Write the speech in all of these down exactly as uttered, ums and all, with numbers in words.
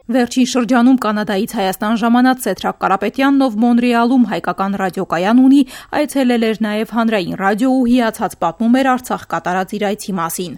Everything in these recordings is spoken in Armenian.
Վերջին շրջանում Կանադայից Հայաստան ժամանած Սեդրակ Կարապետյանն, ով Մոնրեալում հայկական ռադիոկայան ունի, այցելել էր նաև հանրային ռադիո ու հիացած պատմում էր Արցախ կատարած իր այցի մասին։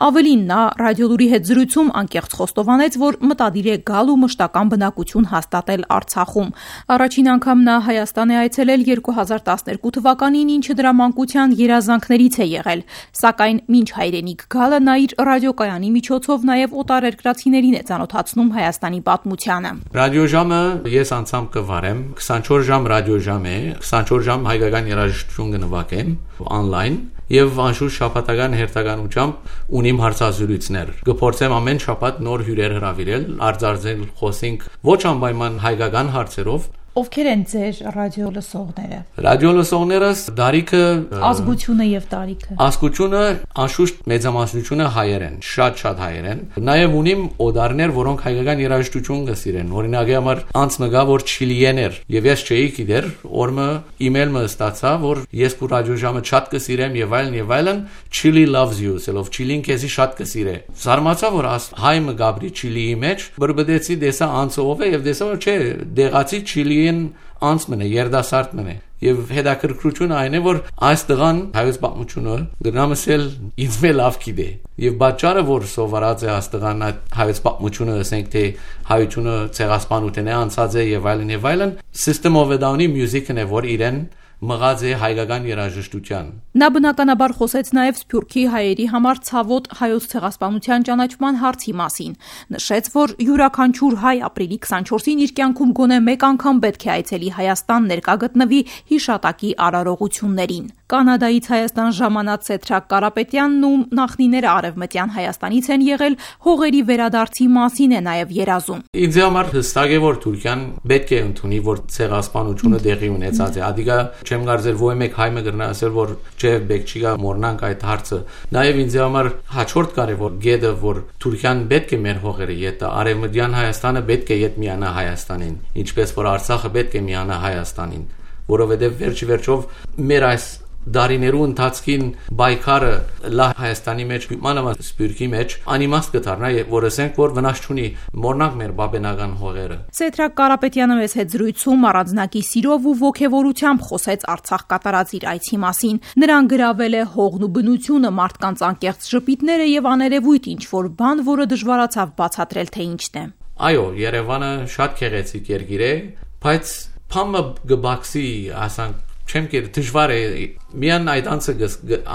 Ավելին, նա ռադիոլուրի հետ զրույցում անկեղծ խոստովանեց, որ մտադիր է գալ ու մշտական բնակություն հաստատել Արցախում։ Առաջին անգամ նա Հայաստան է այցելել երկու հազար տասներկու թվականին, ինչը դրա մանկության երազանքներից է եղել, սակայն մինչ հայրենիք գալը նա իր ռադիոկայանի միջոցով նաև օտարերկրացիներին է ծանոթացնում Հայաստանի պատմությանը։ Ռադիոժամը ես անցամ կվարեմ, քսանչորս ժամ ռադիոժամ է, քսանչորս ժամ հայկական երաժշտություն կնվագեմ on-line եւ անշուշտ շաբաթական հերթականությամբ ունիմ հարցազրույցներ։ Կփորձեմ ամեն շաբաթ նոր հյուրեր հրավիրել, արձանագրել, խոսենք ոչ անպայման հայկական հարցերով։ Ովքեր են ձեր ռադիո լսողները։ Ռադիո լսողներս դարիքը ազգությունը եւ տարիքը։ Ազգությունը անշուշտ մեծամասնությունը հայեր են, շատ-շատ հայեր են։ Նաեւ ունիմ օդարներ, որոնք հայկական երաժշտություն կսիրեն։ Օրինակի համար անց մգա որ չիլիեն էր եւ ես չէի գիտեր, օրը email մը ստացա, որ ես քո ռադիոժամը շատ կսիրեմ եւ այլն եւ այլն, Chile loves you, սելով Chile-ին քեզի շատ կսիրե։ Զարմացա որ հայ մը գաբրի Chile-ի մեջ, բրբդեցի դեսա անցով է եւ դեսա որ չէ, դեղացի Chile անցմն է, երդասարտ մն է եւ հետաքրքրությունը այն է որ այս տղան հայոց պատմությունը դրամասել ինձ մե լավ գիտե եւ պատճառը որ սովորած է այս տղան հայոց պատմությունը ասենք թե հայությունը ցեղասպանություն է անցած է եւ այլն եւ այլն System of a Down-ի մյուզիկն է որ իրեն մղած է հայկական երաժշտության։ Նա բնականաբար խոսեց նաև Սփյուռքի հայերի համար ցավոտ հայոց ցեղասպանության ճանաչման հարցի մասին։ Նշեց, որ յուրաքանչյուր հայ ապրիլի քսանչորսին իր կյանքում գոնե մեկ անգամ պետք է այցելի Հայաստան ներկա գտնվի հիշատակի արարողություններին։ Կանադայից Հայաստան ժամանած Սեդրակ Կարապետյանն ու նախնիները արևմտյան Հայաստանից են եղել, հողերի վերադարձի մասին է նաև երազում։ Ինձ համար հստակ է որ Թուրքիան պետք է ընդունի որ ցեղասպանությունը դեղի ունեցած է։ Ադիգա չեմ կարծել ոչ մեկ հայ մը գրնա ասել որ չէ պետք չի գա մորնանք այդ հարցը։ Նաև ինձ համար հաջորդ կարևոր գեդը որ Թուրքիան պետք է մեր հողերը յետա, արևմտյան Հայաստանը պետք է յետ միանա Հայաստանին, ինչպես որ Արցախը պետք է միանա Հայաստանին, որովհետև վերջի վերջով մեր այս դարիներու ընթացքին բայկարը լա Հայաստանի մեջ մանավանդ Սփյուռքի մեջ անիմաստ կդառնա որ ասենք որ վնաս չունի մորնանք մեր բաբենական հողերը։ Սեդրակ Կարապետյանը մեզ հետ զրույցում առանձնակի սիրով ու ոգևորությամբ խոսեց Արցախ կատարած իր այցի մասին։ Նրան գրավել է հողն ու բնությունը, մարդկանց անկեղծ ժպիտները եւ աներևույթ ինչ որ բան, որը դժվարացավ բացատրել թե ինչն է։ Այո, Երևանը շատ գեղեցիկ երկիր է, բայց փամը գբաքսի ասանք չեմ կեր դժվար է միան այդ անցը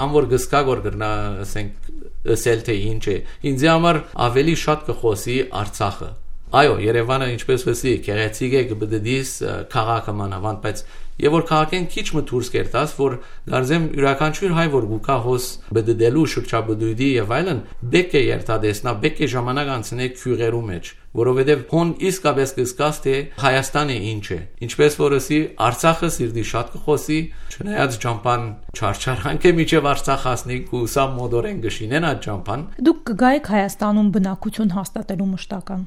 անոր գսկա գոր գրնա ասենք ասել թե ինչ է ինձ համար ավելի շատ կխոսի Արցախը։ Այո, Երևանը ինչպես վսի գեղեցիկ է գբդդիս քաղաքը մանավանդ, բայց եւ որ քաղաքեն քիչ մը դուրս կերտած որ գարձեմ յուրաքանչյուր հայ որ գուկա հոս բդդելու շրջաբդույդի եւ այլն բեք է երթադեսնա բեք է ժամանակ անցնե քյուղերու մեջ որովհետեւ հոն իսկապես կսկաս թե Հայաստանը ինչ է ինչպես որ ասի Արցախը սիրտի շատ կխոսի չնայած ճամփան չարչարանք է միջև Արցախ հասնի ու սա մոդորեն գշինեն այդ ճամփան։ Դուք կգայեք Հայաստանում բնակություն հաստատելու մշտական։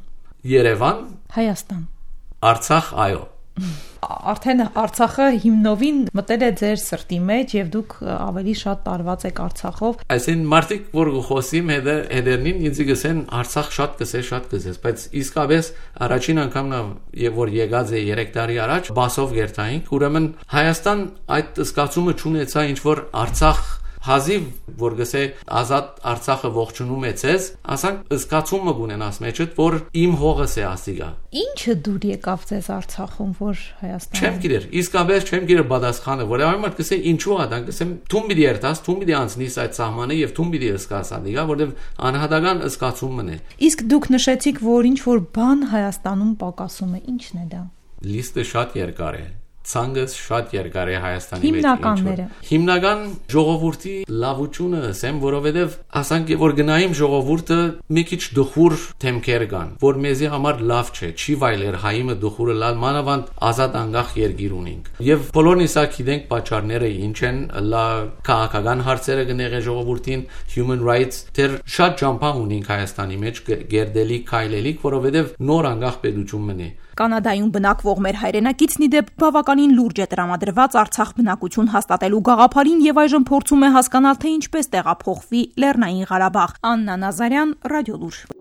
Երևան, Հայաստան, Արցախ, այո։ Արդեն Արցախը հիմնովին մտել է ձեր սրտի մեջ եւ դուք ավելի շատ տարված եք Արցախով։ Այսին մարդիկ որ խոսիմ հետը հետերնին ինձ գսեն Արցախ շատ կսե շատ կսես, բայց իսկապես առաջին անգամն եւ որ եկած է երեք տարի առաջ բասով գերտայինք, ուրեմն Հայաստան այդ զգացումը չունեցա ինչ որ Արցախ հազիվ որ գսե ազատ Արցախը ողջունում է ցեզ, ասանք զգացումը ունենաս մեջդ որ իմ հողս է ասիգա։ Ինչը դուր եկավ ձեզ Արցախում որ Հայաստանում։ Չեմ գիտեր, իսկապես չեմ գիտեր պատասխանը, որ այմարդ գսե ինչու ադան գսեմ թում պիտի երթաս, թում պիտի անցնիս այդ սահմանը եւ թում պիտի զգաս ադիգա, որովհետեւ անհատական զգացումն է։ Իսկ դուք նշեցիք որ ինչ որ բան Հայաստանում պակասում է, ի՞նչն է դա։ Լիստը շատ երկար է։ Ցանգս շատ երկար է Հայաստանի մեջ։ Հիմնականները։ Հիմնական ժողովրդի լավությունը ասեմ, որովհետև ասանք որ գնայիմ ժողովուրդը մի քիչ դխուր թեմքեր կան, որ մեզի համար լավ չէ, չի վայելեր հայիմը դխուրը լալ մանավանդ ազատ անկախ երկիր ունենք։ Եվ բոլորն իսա գիտենք պատճառները ինչ են, լա քաղաքական հարցերը գնեղե ժողովրդին, human rights, դեր շատ ճամփա ունենք Հայաստանի մեջ գերդելի քայլելիք, որովհետև նոր անկախ պետություն մնի։ Կանադայում բնակվող մեր հայրենակիցն ի դեպ բավականին լուրջ է տրամադրված Արցախ բնակություն հաստատելու գաղափարին եւ այժմ փորձում է հասկանալ թե ինչպես տեղափոխվի Լեռնային Ղարաբաղ։ Աննա Նազարյան, Ռադիոլուր։